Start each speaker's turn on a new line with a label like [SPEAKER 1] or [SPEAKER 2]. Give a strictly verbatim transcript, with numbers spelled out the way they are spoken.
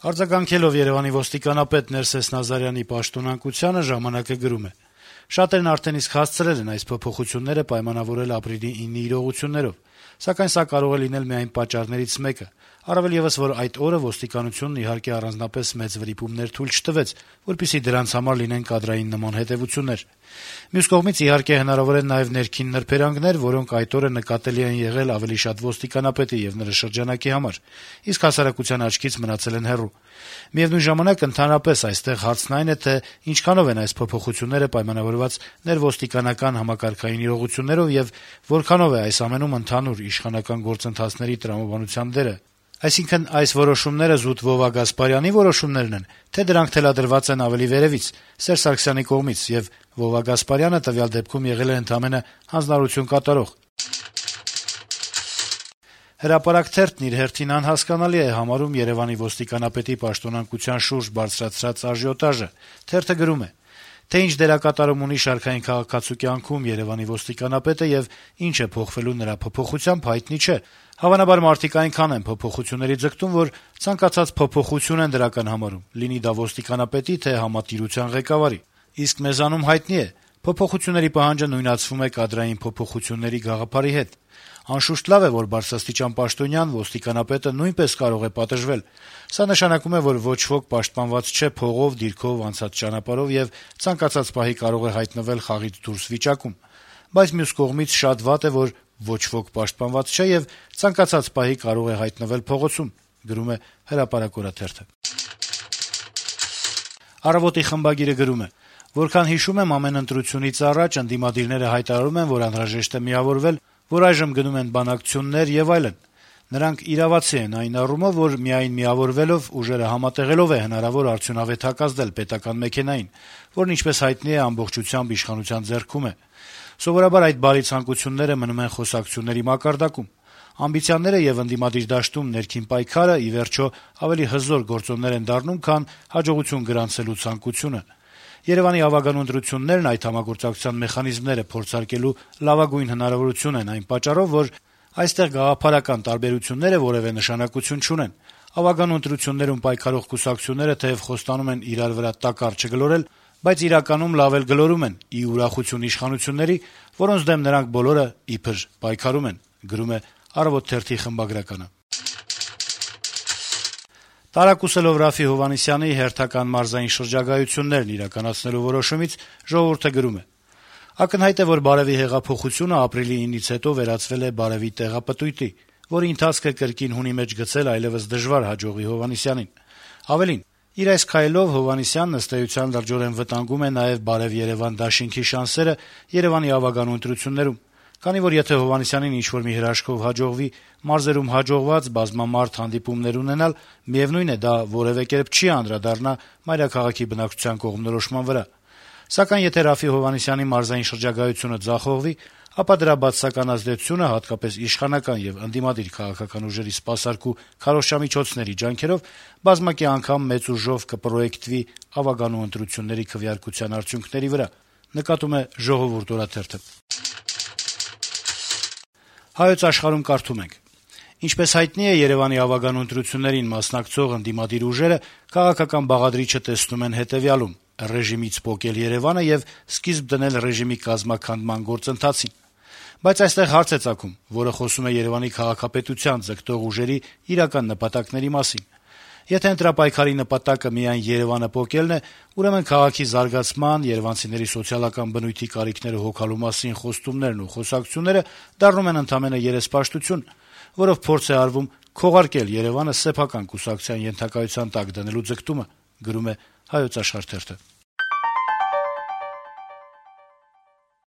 [SPEAKER 1] Արձագանքելով Երեւանի ոստիկանապետ Ներսես Նազարյանի պաշտոնանկությանը «Ժամանակ»-ը գրում է. - «Շատերն արդեն իսկ հասցրել են այս փոփոխությունները պայմանավորել ապրիլի իննի իրողություններով, սակայն սա կարող է լինել միայն պատճառներից մեկը, առավել եւս, որ այդ օրը ոստիկանությունն իհարկե առանձնապես մեծ վրիպումներ թույլ չտվեց, որպեսզի դրանց համար լինեն կադրային նման հետեւություններ։ Մյուս կողմից, իհարկե, հնարավոր են նաեւ ներքին նրբերանգներ, որոնք այդ օրը նկատելի են եղել ավելի շատ ոստիկանապետի եւ նրա շրջանակի համար, իսկ հասարակության աչքից մնացել են հեռու։ Միեւնույն ժամանակ, ընդհանրապես այստեղ հարցն այն է, թե ինչքանով են այս փոփոխությունները պայմանավորված ներոստիկանական համակարգային իրողություններով եւ որքանով է այս ամենում ընդհանուր իշխանական գործընթացների տրամաբանության դերը։ Այսինքն, այս որոշումները զուտ Վովա Գասպարյանի որոշումներն են, թե դրանք թելադրված են ավելի վերեւից, Սերժ Սարգսյանի կողմից, եւ Վովա Գասպարյանը տվյալ դեպքում եղել է ընդամենը հանձնարարություն կատարող»։ «Հրապարակ» թերթն իր հերթին անհասկանալի է համարում Երեւանի ոստիկանապետի պաշտոնանկության շուրջ բարձրացրած աժիոտաժը։ Թերթը գրում է. - «Թե ինչ դերակատարում ունի շարքային քաղաքացու կյանքում Երեւանի ոստիկանապետը եւ ինչ է փոխվելու նրա փոփոխությամբ, հայտնի չէ։ Հավանաբար մարդիկ այնքան են փոփոխությունների ձգտում, որ ցանկացած փոփոխություն են դրական համարում, լինի դա ոստիկանապետի, թե համատիրության ղեկավարի։ Իսկ մեզանում հայտնի է, փոփոխությունների պահանջը նույնացվում է կադրային փոփոխությունների գաղափարի հետ։ Անշուշտ լավ է, որ բարձրաստիճան պաշտոնյան ոստիկանապետը նույնպես կարող է պատժվել։ Սա նշանակում է, որ ոչ ոք պաշտպանված չէ փողով, դիրքով, անցած ճանապարհով եւ ցանկացած պահի կարող է հայտնվել խաղից դուրս վիճակում։ Բայց մյուս կողմից շատ վատ է, որ ոչ ոք պաշտպանված չէ եւ ցանկացած պահի կարող է հայտնվել փողոցում», գրում է «Հրապարակ» օրաթերթը։ «Առավոտ»-ի խմբագիրը գրում է. - «Որքան հիշում եմ, ամեն ընտրությունից առաջ ընդդիմադիրները հայտարարում են, որ անհրաժեշտ է միավորվել, որ այժմ գնում են բանակցություններ եւ այլն։ Նրանք իրավացի են այն առումով, որ միայն միավորվելով, ուժերը համատեղելով է հնարավոր արդյունավետ հակազդել պետական մեքենային, որն, ինչպես հայտնի է, ամբողջությամբ իշխանության ձեռքում է։ Սովորաբար այդ բարի ցանկությունները մնում են խոսակցությունների մակարդակում։ Ամբիցիաները եւ ընդդիմադիր դաշտում ներքին պայքարը, ի վերջո, ավելի հզոր գործոններ են դառնում, քան հաջողություն գրանցելու ցանկությունը։ Երեւանի ավագանու ընտրություններն այդ համագործակցության մեխանիզմները փորձարկելու լավագույն հնարավորություն են այն պատճառով, որ այստեղ գաղափարական տարբերությունները որեւէ նշանակություն չունեն։ Ավագանու ընտրություններում պայքարող կուսակցությունները թեեւ խոստանում են իրար վրա տակառ չգլորել, բայց իրականում լավ էլ գլորում են, ի ուրախություն իշխանությունների, որոնց դեմ նրանք բոլորը իբր պայքարում են», գրում է «Առավոտ» թերթի խմբագրականը։ Տարակուսելով Րաֆֆի Հովհաննիսյանի հերթական մարզային շրջագայություններն իրականացնելու որոշումից «Ժողովուրդ»-ը գրում է. - «Ակնհայտ է, որ Բարեւի հեղափոխությունը ապրիլի իննից հետո վերածվել է Բարեւի տեղապտույտի, որի ընթացքը կրկին հունի մեջ գցել այլեւս դժվար հաջողի Հովհաննիսյանին։ Ավելին, իր այս քայլով Հովհաննիսյանն ըստ էության լրջորեն վտանգում է նաեւ Բարեւ-Երեւան դաշինքի շանսերը Երեւանի ավագանու ընտրություններում, քանի որ եթե Հովհաննիսյանին ինչ-որ մի հրաշքով հաջողվի մարզերում հաջողված բազմամարդ հանդիպումներ ունենալ, միեւնույն է, դա որեւէ կերպ չի անդրադառնա մայրաքաղաքի բնակչության կողմնորոշման վրա։ Սակայն եթե Րաֆֆի Հովհաննիսյանի մարզային շրջագայությունը ձախողվի, ապա դրա բացասական ազդեցությունը, հատկապես իշխանական եւ ընդդիմադիր քաղաքական ուժերի սպասարկու քարոզչամիջոցների ջանքերով, բազմակի անգամ մեծ ուժով կպրոյեկտվի ավագանու ընտրությունների քվեարկության արդյունքների վրա», նկատում է «Ժողովուրդ» օրաթերթը։ «Հայոց աշխարհ»-ում կարդում ենք. - «Ինչպես հայտնի է, Երեւանի ավագանու ընտրություններին մասնակցող ընդդիմադիր ուժերը քաղաքական բաղադրիչը տեսնում են հետեւյալում՝ ռեժիմից պոկել Երեւանը եւ սկիզբ դնել ռեժիմի կազմաքանդման գործընթացին։ Բայց այստեղ հարց է ծագում, որը խոսում է Երեւանի քաղաքապետության ձգտող ուժերի իրական նպատակների մասին։ Եթե ընտրապայքարի նպատակը միայն Երեւանը պոկելն է, ուրեմն քաղաքի զարգացման, երեւանցիների սոցիալական բնույթի կարիքները հոգալու մասին խոստումներն ու խոսակցությունները դառնում են ընդամենը երեսպաշտություն, որով փորձ է արվում քողարկել Երեւանը սեփական կուսակցության ենթակայության տակ դնելու ձգտումը», գրում է «Հայոց աշխարհ» թերթը։